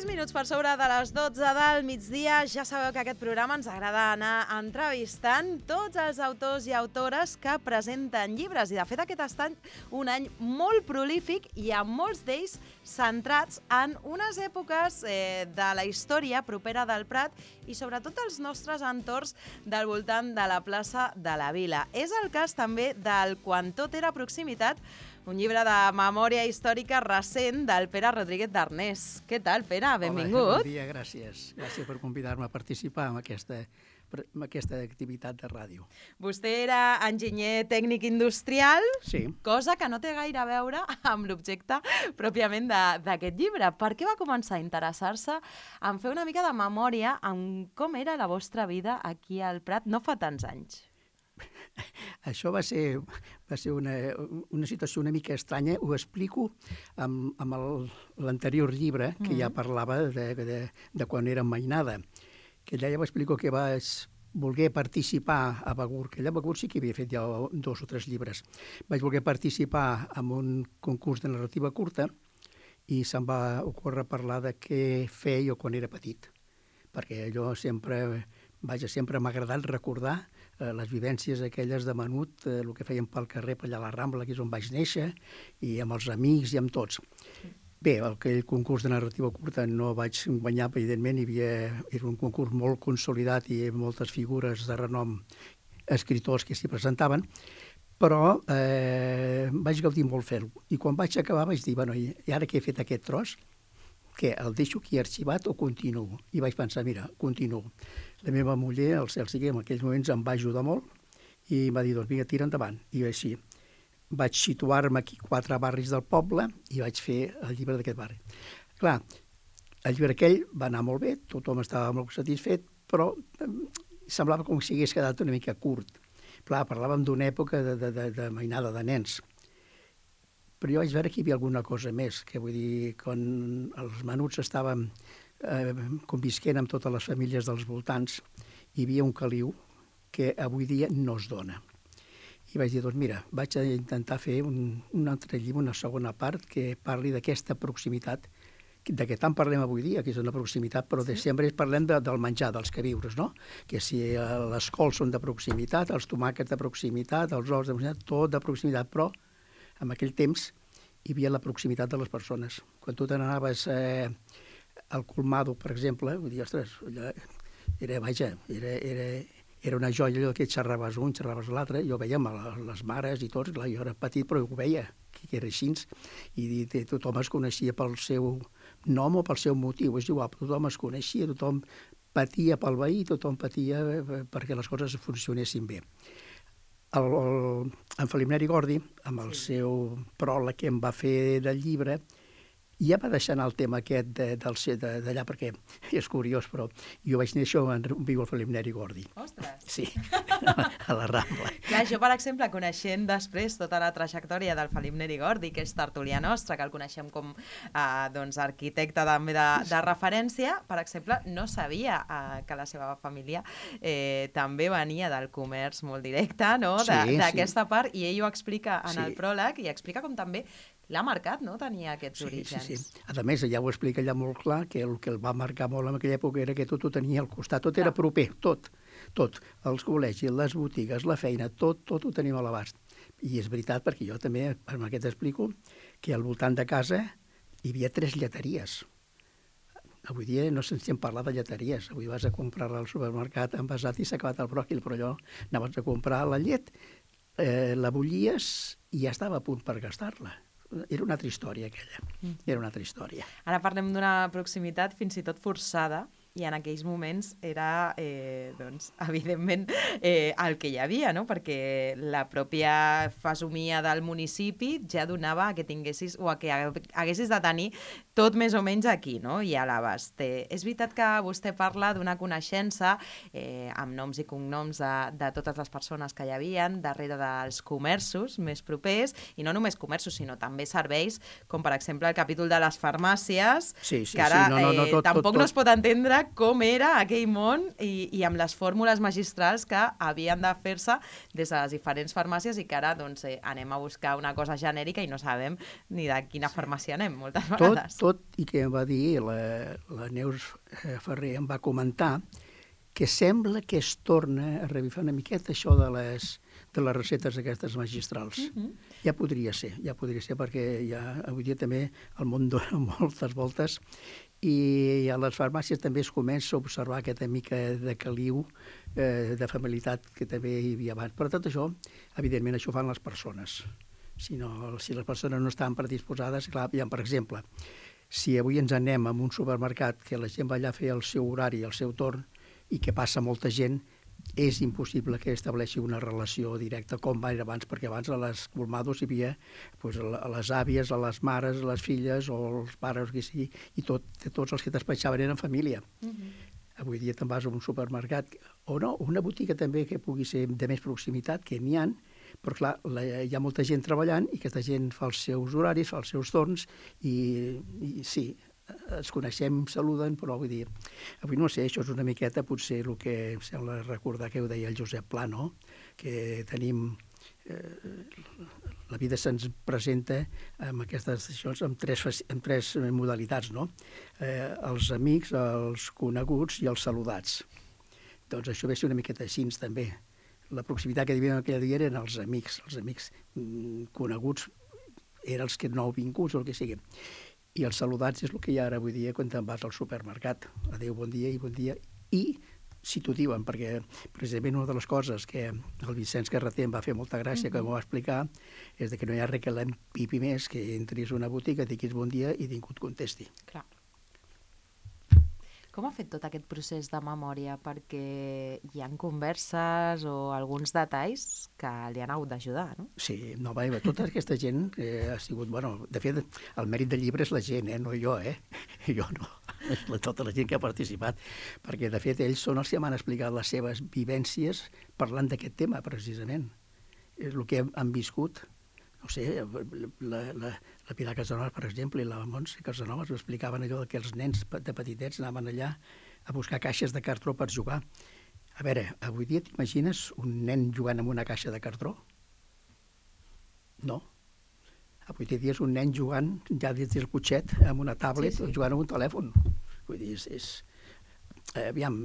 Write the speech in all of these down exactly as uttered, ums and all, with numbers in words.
minuts per sobre de les dotze del migdia. Ja sabeu que aquest programa ens agrada anar entrevistant tots els autors i autores que presenten llibres. I de fet aquest ha estat un any molt prolífic i amb molts d'ells centrats en unes èpoques eh, de la història propera del Prat i sobretot els nostres entorns del voltant de la plaça de la Vila. És el cas també del Quan tot era proximitat, un llibre de memòria històrica recent del Pere Rodríguez d'Arnés. Què tal, Pere? Benvingut. Hola, bon dia, gràcies. Gràcies per convidar-me a participar en aquesta, en aquesta activitat de ràdio. Vostè era enginyer tècnic industrial, sí. Cosa que no té gaire a veure amb l'objecte pròpiament d'aquest llibre. Per què va començar a interessar-se en fer una mica de memòria en com era la vostra vida aquí al Prat no fa tants anys? Això va ser, va ser una, una situació una mica estranya. Ho explico amb, amb l'anterior llibre, que mm-hmm. ja parlava de, de, de quan era mainada. Que allà ja ho explico que vaig voler participar a Begur, que allà a Begur sí que havia fet ja dos o tres llibres. Vaig voler participar en un concurs de narrativa curta i se'm va ocórrer parlar de què feia quan era petit. Perquè allò sempre, vaja, sempre m'ha agradat recordar eh, les vivències aquelles de menut, eh, el que fèiem pel carrer, per allà a la Rambla, que és on vaig néixer, i amb els amics i amb tots. Bé, aquell concurs de narrativa curta no vaig guanyar, evidentment, hi havia, era un concurs molt consolidat i moltes figures de renom, escriptors que s'hi presentaven, però eh, vaig gaudir molt fer-ho. I quan vaig acabar vaig dir, bueno, i ara que he fet aquest tros, què, el deixo aquí arxivat o continuo? I vaig pensar, mira, continuo. La meva muller, el cel sigui, en aquells moments em va ajudar molt i em va dir, doncs vinga, tira endavant. I així vaig situar-me aquí quatre barris del poble i vaig fer el llibre d'aquest barri. Clar, el llibre aquell va anar molt bé, tothom estava molt satisfet, però semblava com si hagués quedat una mica curt. Clar, parlàvem d'una època de, de, de, de mainada de nens. Però jo vaig veure que hi havia alguna cosa més, que vull dir, quan els menuts estaven eh, convisquent amb totes les famílies dels voltants, hi havia un caliu que avui dia no es dona. I vaig dir, doncs mira, vaig a intentar fer un, un altre llibre, una segona part, que parli d'aquesta proximitat, de què tant parlem avui dia, que és una proximitat, però de sempre parlem de, del menjar, dels queviures, no? Que si les cols són de proximitat, els tomàquets de proximitat, els ous de proximitat, tot de proximitat, però en aquell temps hi havia la proximitat de les persones. Quan tu te n'anaves eh, al Colmado, per exemple, vull dir, ostres, allò era, vaja, era, era, era una joia allò que xerraves un, xerraves l'altre, jo veia amb les mares i tots, clar, jo era petit però ho veia, que era així, i, i tothom es coneixia pel seu nom o pel seu motiu, és igual, tothom es coneixia, tothom patia pel veí, tothom patia perquè les coses funcionessin bé. El, el, en Felip Neri Gordi, amb el sí. seu pròleg que em va fer del llibre, ja va deixar anar el tema aquest d'allà, perquè és curiós, però jo vaig néixer on viu el Felip Neri Gordi. Ostres! Sí, a la Rambla. Clar, jo, per exemple, coneixent després tota la trajectòria del Felip Neri Gordi, que és tertulià nostre, que el coneixem com eh, doncs, arquitecte també de, de referència, per exemple, no sabia eh, que la seva família eh, també venia del comerç molt directe, no? D'aquesta sí. part, i ell ho explica en sí. el pròleg, i explica com també l'ha marcat, no?, tenia aquests sí, orígens. Sí, sí. A més, ja ho explica allà molt clar, que el que el va marcar molt en aquella època era que tot ho tenia al costat, tot era proper, tot, tot. Els col·legis, les botigues, la feina, tot, tot ho tenim a l'abast. I és veritat, perquè jo també, amb aquest explico, que al voltant de casa hi havia tres lleteries. Avui dia no se'n parla de lleteries. Avui vas a comprar al supermercat envasat i s'ha acabat el bròquil, però allò anaves a comprar la llet, eh, la bullies i ja estava a punt per gastar-la. Era una altra història, aquella. Era una altra història. Ara parlem d'una proximitat fins i tot forçada, i en aquells moments era, eh, doncs, evidentment, eh, el que hi havia, no? Perquè la pròpia fesomia del municipi ja donava a que tinguessis, o a que haguessis de tenir tot més o menys aquí, no? I a l'abast. Eh, és veritat que vostè parla d'una coneixença eh, amb noms i cognoms de, de totes les persones que hi havia darrere dels comerços més propers, i no només comerços, sinó també serveis, com per exemple el capítol de les farmàcies, sí, sí, que ara sí, no, no, no, tot, eh, tampoc tot, tot. no es pot entendre com era aquell món i, i amb les fórmules magistrals que havien de fer-se des de les diferents farmàcies i que ara doncs, eh, anem a buscar una cosa genèrica i no sabem ni de quina farmàcia anem moltes vegades. Tot, tot i que em va dir, la, la Neus Ferrer em va comentar que sembla que es torna a revifar una miqueta això de les, de les receptes aquestes magistrals. Uh-huh. Ja podria ser, ja podria ser, perquè ja avui dia també el món dona moltes voltes i a les farmàcies també es comença a observar aquesta mica de caliu, eh, de familiaritat que també hi havia abans. Per tot això, evidentment, això fan les persones. Si, no, si les persones no estan predisposades, clar, ja, per exemple, si avui ens anem a un supermercat que la gent va allà a fer el seu horari, el seu torn, i que passa molta gent, és impossible que estableixi una relació directa com va abans, perquè abans a les colmados hi havia pues, a les àvies, a les mares, a les filles o els pares, que sigui, i tot, tots els que despatxaven eren família. Uh-huh. Avui dia te'n vas a un supermercat, o no, una botiga també que pugui ser de més proximitat, que n'hi ha, però clar, la, hi ha molta gent treballant i aquesta gent fa els seus horaris, fa els seus torns i, i sí, ens coneixem, saluden, però vull dir, avui no sé, això és una miqueta potser el que em sembla recordar que ho deia el Josep Pla, no? Que tenim, eh, la vida se'ns presenta amb aquestes decisions, amb tres, amb tres modalitats, no? Eh, els amics, els coneguts i els saludats. Doncs això ve ser una miqueta així també. La proximitat que vivíem aquell dia eren els amics, els amics mm, coneguts eren els que no vinguts o el que sigui. I els saludats és el que hi ha ara avui dia quan te'n vas al supermercat. Adéu, bon dia i bon dia. I si t'ho diuen, perquè precisament una de les coses que el Vicenç Carreter em va fer molta gràcia, mm-hmm. que m'ho va explicar, és que no hi ha res que l'empipi més que entris a una botiga, diguis bon dia i ningú et contesti. Clar. Com ha fet tot aquest procés de memòria? Perquè hi ha converses o alguns detalls que li han hagut d'ajudar, no? Sí, no, va, tota aquesta gent eh, ha sigut... Bueno, de fet, el mèrit del llibre és la gent, eh, no jo, eh? Jo no, és la, tota la gent que ha participat. Perquè, de fet, ells són els que m'han explicat les seves vivències parlant d'aquest tema, precisament. És el que han viscut. No sé, la, la, la Pilar Casanovas, per exemple, i la Montse Casanovas m'explicaven allò que els nens de petitets anaven allà a buscar caixes de cartró per jugar. A veure, avui dia t'imagines un nen jugant amb una caixa de cartró? No. Avui dia és un nen jugant ja des del cotxet amb una tablet sí, sí. jugant amb un telèfon. Vull dir, és... és... Aviam,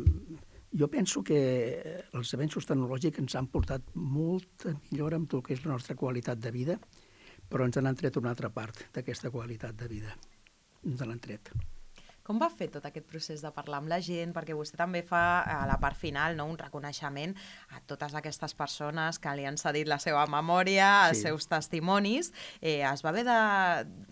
jo penso que els avenços tecnològics ens han portat molta millora amb tot el que és la nostra qualitat de vida, però ens n'han tret una altra part d'aquesta qualitat de vida. Ens n'han tret. Com va fer tot aquest procés de parlar amb la gent? Perquè vostè també fa a la part final, no, un reconeixement a totes aquestes persones que li han cedit la seva memòria, els sí. seus testimonis. Eh, es va haver de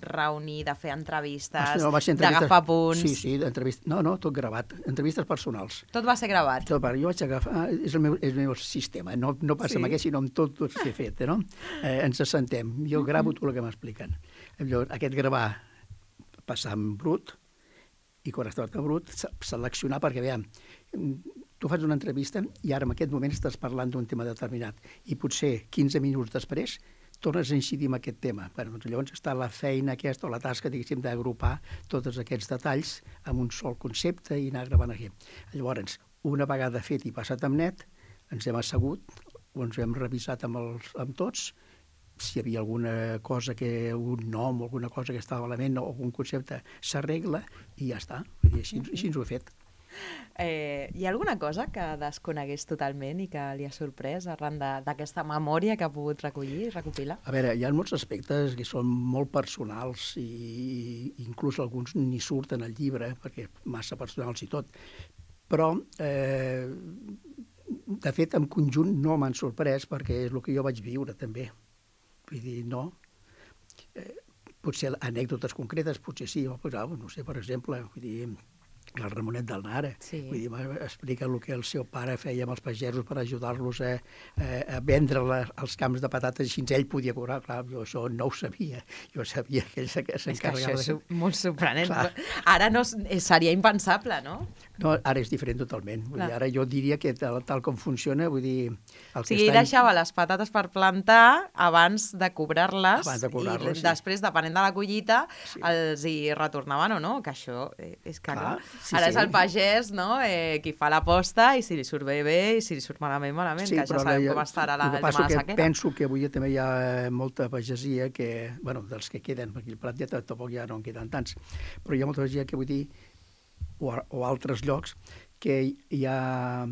reunir, de fer entrevistes, no, d'agafar punts... Sí, sí, entrevistes... No, no, tot gravat. Entrevistes personals. Tot va ser gravat? Tot, jo vaig agafar... És el meu, és el meu sistema. No, no passa sí. amb aquest, sinó amb tot, tot que he fet. No? Eh, ens assentem. Jo gravo tot el que m'expliquen. Llavors, aquest gravar, passar en brut, i quan estava tan brut, seleccionar, perquè, veiem, tu fas una entrevista i ara en aquest moment estàs parlant d'un tema determinat i potser quinze minuts després tornes a incidir en aquest tema. Bueno, doncs llavors està la feina aquesta o la tasca, diguéssim, d'agrupar tots aquests detalls en un sol concepte i anar gravant aquí. Llavors, una vegada fet i passat amb net, ens hem assegut, o ens hem revisat amb, els, amb tots, si hi havia alguna cosa, que un nom o alguna cosa que estava malament o algun concepte s'arregla i ja està. Vull dir, així, així ens ho he fet. Eh, hi ha alguna cosa que desconegués totalment i que li ha sorprès arran d'aquesta memòria que ha pogut recollir i recopilar? A veure, hi ha molts aspectes que són molt personals i inclús alguns ni surten al llibre perquè massa personals i tot. Però, eh, de fet, en conjunt no m'han sorprès perquè és el que jo vaig viure també. Vull dir, no. Eh, potser anècdotes concretes, potser sí, o, pues, no sé, per exemple, vull dir, el Ramonet del Nara. Sí. Vull dir, explica el que el seu pare feia amb els pagesos per ajudar-los a, a, a vendre la, els camps de patates, així ell podia cobrar. Clar, jo això no ho sabia. Jo sabia que ell s'encarregava... És que això és de... molt sorprenent. Clar. Ara no, seria impensable, no? No, ara és diferent totalment. Vull dir, ara jo diria que tal, tal com funciona, vull dir... El O sigui, ell deixava les patates per plantar abans de cobrar-les Abans de cobrar-les, i sí. després, depenent de la collita, Sí. els hi retornaven o no, que això eh, és que Clar, clar. sí, Ara sí. és el pagès, no?, eh, qui fa l'aposta i si li surt bé, bé, i si li surt malament, malament, Sí, que ja però sabem la- com estarà la, el el que tema passa de la que sequera. penso que avui també hi ha molta pagesia que, bueno, dels que queden, perquè el Prat ja tampoc ja no en queden tants, però hi ha molta pagesia que vull dir, o, o altres llocs, que ja,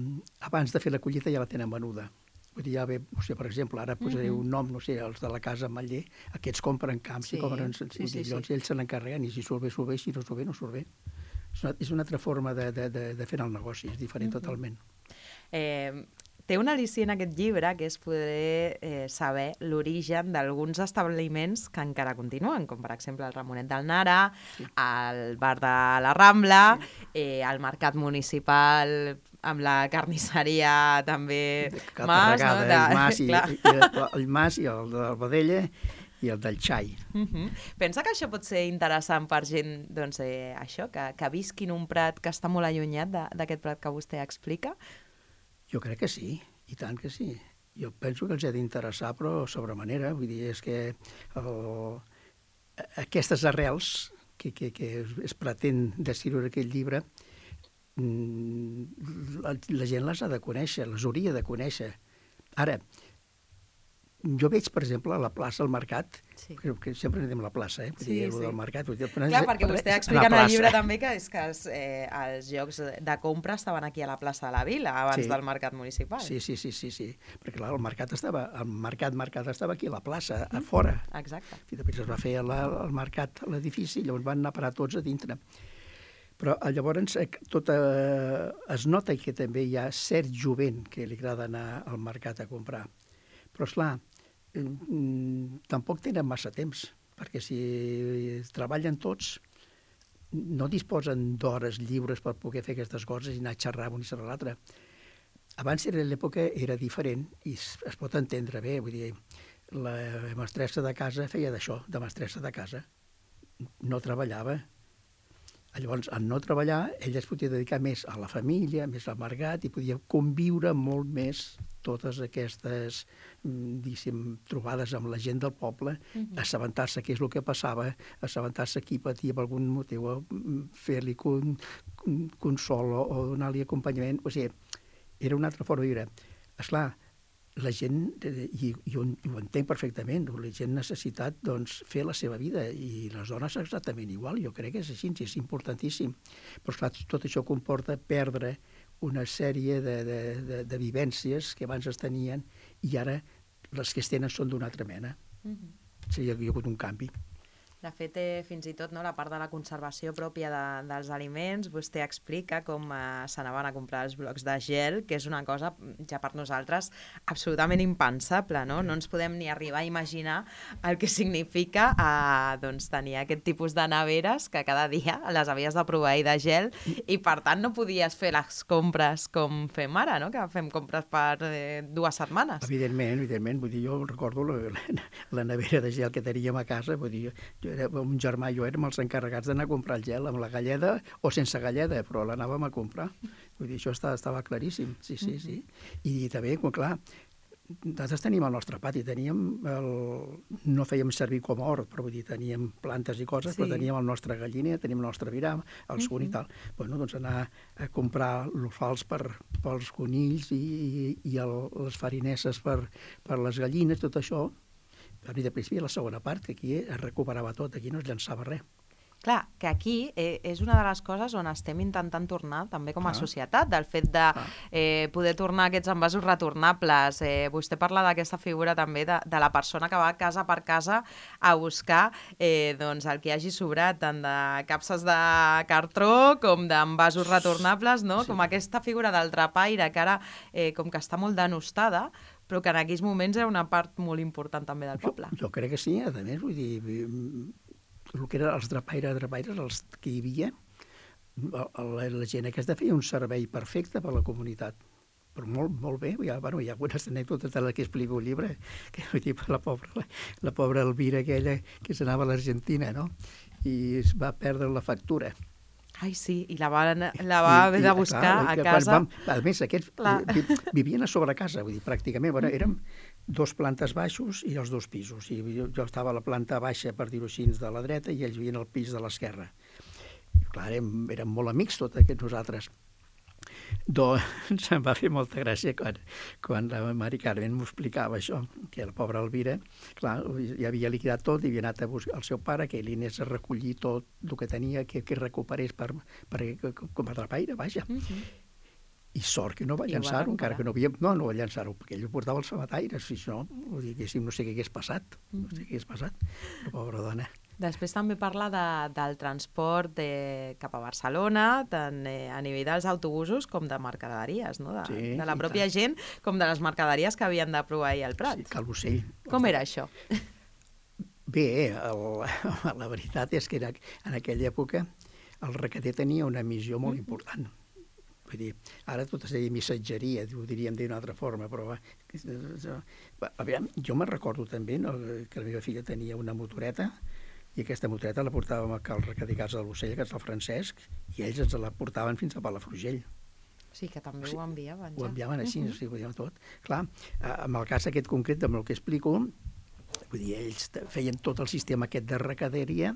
abans de fer la collita ja la tenen venuda. Vull dir, ja ve, o sigui, per exemple, ara posaré Mhm. un nom, no sé, els de la casa Matller, aquests compren camps Sí, i compren... sí, vull sí, dir, llavors sí. ells se n'encarreguen i si surt bé, surt bé, si no surt bé, no surt bé. És una, és una altra forma de, de, de, de fer el negoci, és diferent Mhm. totalment. Eh, té un al·licient aquest llibre, que és poder eh, saber l'origen d'alguns establiments que encara continuen, com per exemple el Ramonet del Nara, Sí. el bar de la Rambla, eh, el mercat municipal amb la carnisseria també Que Mas, no? regada, el Mas, i, Clar. i, i, el Mas i el del Badella i el del Xai. Uh-huh. Pensa que això pot ser interessant per gent, doncs, eh, això, que, que visqui en un prat que està molt allunyat de- d'aquest prat que vostè explica? Jo crec que sí, i tant que sí. Jo penso que els ha d'interessar, però sobre manera. Vull dir, és que el, aquestes arrels que, que, que es, es pretén descriure aquest llibre, mm, la, la gent les ha de conèixer, les hauria de conèixer. Ara, jo veig, per exemple, a la plaça, al mercat, Sí. que, que sempre anem a la plaça, eh? Vull Sí, dir, el sí. del mercat. Vull dir, Clar, perquè vostè explica en el llibre també que, és que els, eh, els llocs de compra estaven aquí a la plaça de la Vila, abans Sí. del mercat municipal. Sí, sí, sí, sí, sí. Perquè clar, el mercat estava, el mercat, mercat estava aquí a la plaça, a fora. Exacte. I després es va fer la, el mercat, l'edifici, llavors van anar a parar tots a dintre. Però eh, llavors eh, tot, eh, es nota que també hi ha cert jovent que li agrada anar al mercat a comprar. Però, esclar, eh, mm, tampoc tenen massa temps, perquè si treballen tots, no disposen d'hores lliures per poder fer aquestes coses i anar a xerrar un i xerrar l'altre. Abans era l'època era diferent i es, es pot entendre bé, vull dir, la mestressa de casa feia d'això, de mestressa de casa. No treballava. Llavors, en no treballar, ella es podia dedicar més a la família, més al mercat, i podia conviure molt més totes aquestes, mm, diguéssim, trobades amb la gent del poble, Mhm. assabentar-se què és el que passava, assabentar-se qui patia per algun motiu, mm, fer-li con, con, consol o, o donar-li acompanyament. O sigui, era una altra forma de viure. Esclar, la gent, eh, i, i ho, ho entenc perfectament, la gent necessitat doncs, fer la seva vida i les dones exactament igual, jo crec que és així, és importantíssim. Però esclar, tot això comporta perdre una sèrie de, de, de, de vivències que abans es tenien i ara les que es tenen són d'una altra mena. Mhm. O sigui, hi ha hagut un canvi. De fet, eh, fins i tot no, la part de la conservació pròpia de, dels aliments, vostè explica com eh, s'anaven a comprar els blocs de gel, que és una cosa ja per nosaltres absolutament impensable, no? No ens podem ni arribar a imaginar el que significa eh, doncs, tenir aquest tipus de neveres que cada dia les havies de proveir de gel i per tant no podies fer les compres com fem ara, no? Que fem compres per eh, dues setmanes. Evidentment, evidentment, vull dir, jo recordo la, la, la nevera de gel que teníem a casa, vull dir, jo era, un germà i jo érem els encarregats d'anar a comprar el gel amb la galleda o sense galleda, però l'anàvem a comprar. Vull dir, això estava, estava claríssim, sí, sí, sí. I també, clar, nosaltres teníem el nostre pati, teníem el... no fèiem servir com a hort, però vull dir, teníem plantes i coses, Sí. però teníem el nostre galliner, teníem el nostre viram, el suc i tal. Bueno, doncs anar a comprar l'ofals per, pels conills i, i, i el, les farinesses per, per les gallines, tot això. Però i després hi havia la segona part, que aquí es recuperava tot, aquí no es llançava res. Clar, que aquí eh, és una de les coses on estem intentant tornar, també com a Ah. societat, del fet de eh, poder tornar aquests envasos retornables. Eh, vostè parla d'aquesta figura també de, de la persona que va casa per casa a buscar eh, doncs, el que hi hagi sobrat, tant de capses de cartró com d'envasos retornables, no? Sí. Com aquesta figura del trapaire que ara eh, com que està molt denostada, però que en aquells moments era una part molt important també del Jo, poble. jo crec que sí, a més, vull dir, el que eren els drapaires, drapaires, els que hi havia, la, la, la gent aquesta feia un servei perfecte per a la comunitat. Però molt, molt bé, hi ha, bueno, hi ha algunes anècdotes de les que explico al llibre, que vull dir, la pobra, la, la pobra Elvira aquella que s'anava a l'Argentina, no? I es va perdre la factura. Ai, sí, i la va, la va haver de buscar clar, a casa. Vam, a més, aquests vi, vivien a sobre casa, vull dir, pràcticament, bueno, érem dos plantes baixos i els dos pisos. I jo, jo estava a la planta baixa, per dir-ho així, de la dreta, i ells vivien al pis de l'esquerra. Clar, érem, érem molt amics, tots aquests nosaltres. Doncs em va fer molta gràcia quan, quan la Mari Carmen m'ho explicava això, que la pobra Elvira, clar, ja havia liquidat tot i havia anat a buscar el seu pare, que ell anés a recollir tot el que tenia, que, que recuperés per, per, com a trapaire, vaja. Uh -huh. I sort que no va llançar-ho, encara que no havia... No, no va llançar-ho, perquè ell ho portava als famataires, si no, diguéssim, no sé què hagués passat, no sé què hagués passat, la pobra dona. Després també parla de, del transport de, cap a Barcelona, tant eh, a nivell dels autobusos com de mercaderies, no? de, sí, de la pròpia gent, com de les mercaderies que havien de proveir al Prat. Sí, Cal Ocell. Com era això? Bé, el, la veritat és que era, en aquella època el recater tenia una missió molt important. Vull dir, ara tot es deia missatgeria, ho diríem d'una altra forma, però a veure, jo me'n recordo també, no, que la meva filla tenia una motoreta, i aquesta motoreta la portàvem al recater Casa de l'Ocell, que és el Francesc, i ells ens la portaven fins a Palafrugell. Sí, que també o sigui, ho enviaven. Ja. Ho enviaven així, uh -huh. o sigui, ho enviaven tot. Clar, en el cas aquest concret, amb el que explico, vull dir, ells feien tot el sistema aquest de recaderia,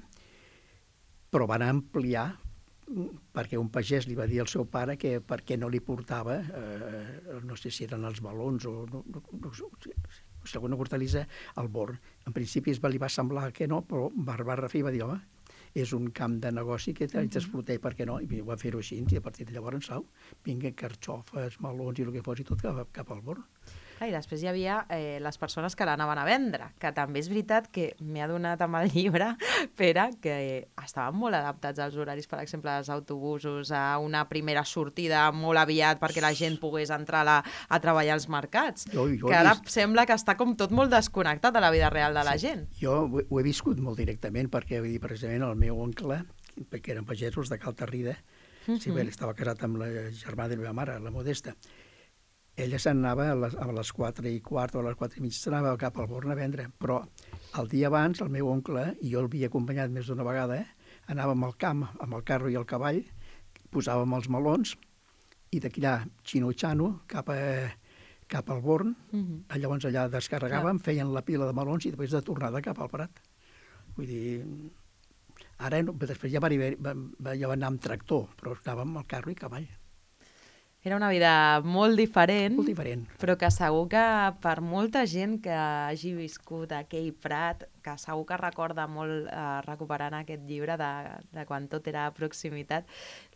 però van ampliar perquè un pagès li va dir al seu pare que per què no li portava, eh, no sé si eren els melons o no, no, no, segona hortalissa, al Born. En principi es va, li va semblar que no, però va, va refer i va dir, home, és un camp de negoci que haig d'explotar, per què no? I va fer-ho així, i a partir de llavors, sau, vinguen carxofes, melons i el que fos, i tot cap, cap al Born. I després hi havia eh, les persones que l'anaven a vendre, que també és veritat que m'he adonat amb el llibre, Pere, que estaven molt adaptats als horaris, per exemple, dels autobusos, a una primera sortida molt aviat perquè la gent pogués entrar a, la, a treballar als mercats, jo, jo que ara vist... sembla que està com tot molt desconnectat de la vida real de la sí, gent. Jo ho, ho he viscut molt directament, perquè vull dir, precisament el meu oncle, que eren pagesos de Cal Tarrida, uh -huh. sí, bé, estava casat amb la germana de la meva mare, la Modesta. Ella se'n anava a les, a les quatre i quart o a les quatre i mig, s'anava cap al Born a vendre, però el dia abans el meu oncle, i jo l'havia acompanyat més d'una vegada, eh, anàvem al camp amb el carro i el cavall, posàvem els melons, i d'aquí allà, xino-xano, cap, a, cap al Born, uh -huh. llavors allà descarregàvem, feien la pila de melons i després de tornada cap al Prat. Vull dir, ara no, després ja va, va, ja va anar amb tractor, però anàvem amb el carro i cavall. Era una vida molt diferent, molt diferent, però que segur que per molta gent que hagi viscut aquell Prat, que segur que recorda molt eh, recuperant aquest llibre de, de quan tot era proximitat,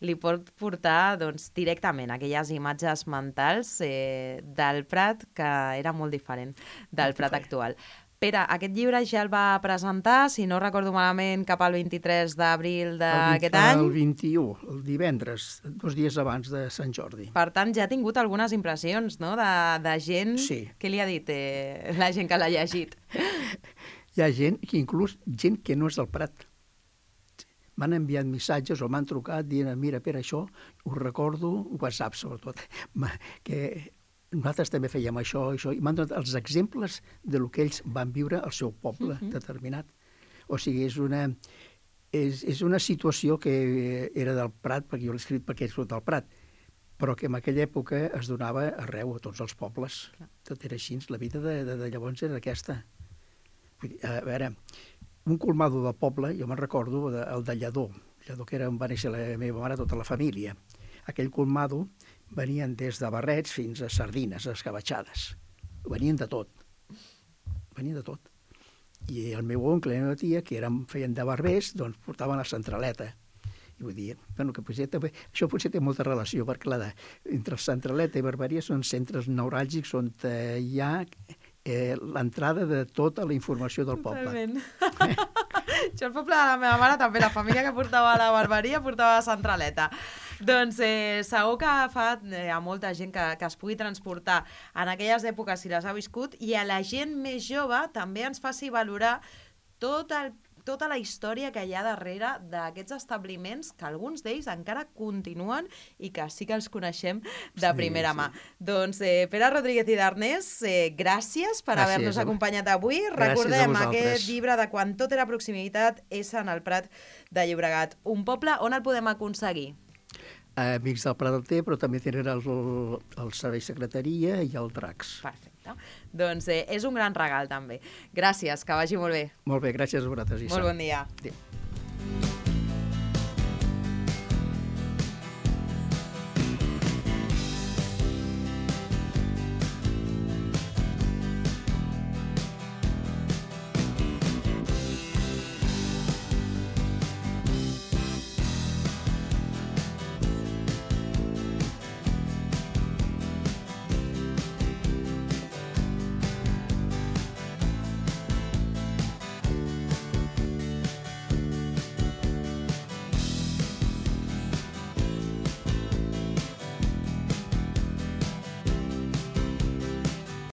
li pot portar doncs, directament aquelles imatges mentals eh, del Prat que era molt diferent del molt Prat diferent. Actual. Pere, aquest llibre ja el va presentar, si no recordo malament, cap al vint-i-tres d'abril d'aquest any. El vint-i-u, el divendres, dos dies abans de Sant Jordi. Per tant, ja ha tingut algunes impressions, no?, de, de gent... Sí. Què li ha dit eh, la gent que l'ha llegit? Hi ha gent, que inclús gent que no és del Prat. M'han enviat missatges o m'han trucat dient, mira, Pere, això ho recordo, WhatsApp sobretot, que... nosaltres també fèiem això, això, i m'han donat els exemples de lo que ells van viure al seu poble uh-huh. determinat. O sigui, és una, és, és una situació que era del Prat, perquè jo l'he escrit perquè és del Prat, però que en aquella època es donava arreu, a tots els pobles. Clar. Tot era així, la vida de, de, de llavors era aquesta. Vull dir, a veure, un colmado de poble, jo me'n recordo, de, el de Lledó, Lledó que era on va néixer la meva mare, tota la família. Aquell colmado venien des de barrets fins a sardines escabatxades. Venien de tot. Venien de tot. I el meu oncle i la meva tia, que eren, feien de barbers, doncs portaven la centraleta. I vull dir, bueno, que potser també, això potser té molta relació, perquè clar, entre centraleta i barberia són centres neuràlgics on hi ha eh, l'entrada de tota la informació del poble. Totalment. Jo al poble de la meva mare també, la família que portava la barberia portava la centraleta. Doncs eh, segur que fa eh, a molta gent que, que es pugui transportar en aquelles èpoques si les ha viscut, i a la gent més jove també ens faci valorar tot el tota la història que hi ha darrere d'aquests establiments, que alguns d'ells encara continuen i que sí que els coneixem de primera sí, mà. Sí. Doncs, eh, Pere Rodríguez i Darnés, eh, gràcies per haver-nos acompanyat avui. Recordem aquest llibre de Quan tot era proximitat és en el Prat de Llobregat. Un poble on el podem aconseguir? Amics del Prat del Té, però també tenen el, el servei secretaria i el Dracs. Perfecte. Doncs eh, és un gran regal, també. Gràcies, que vagi molt bé. Molt bé, gràcies a vosaltres. Molt bon dia. Adéu.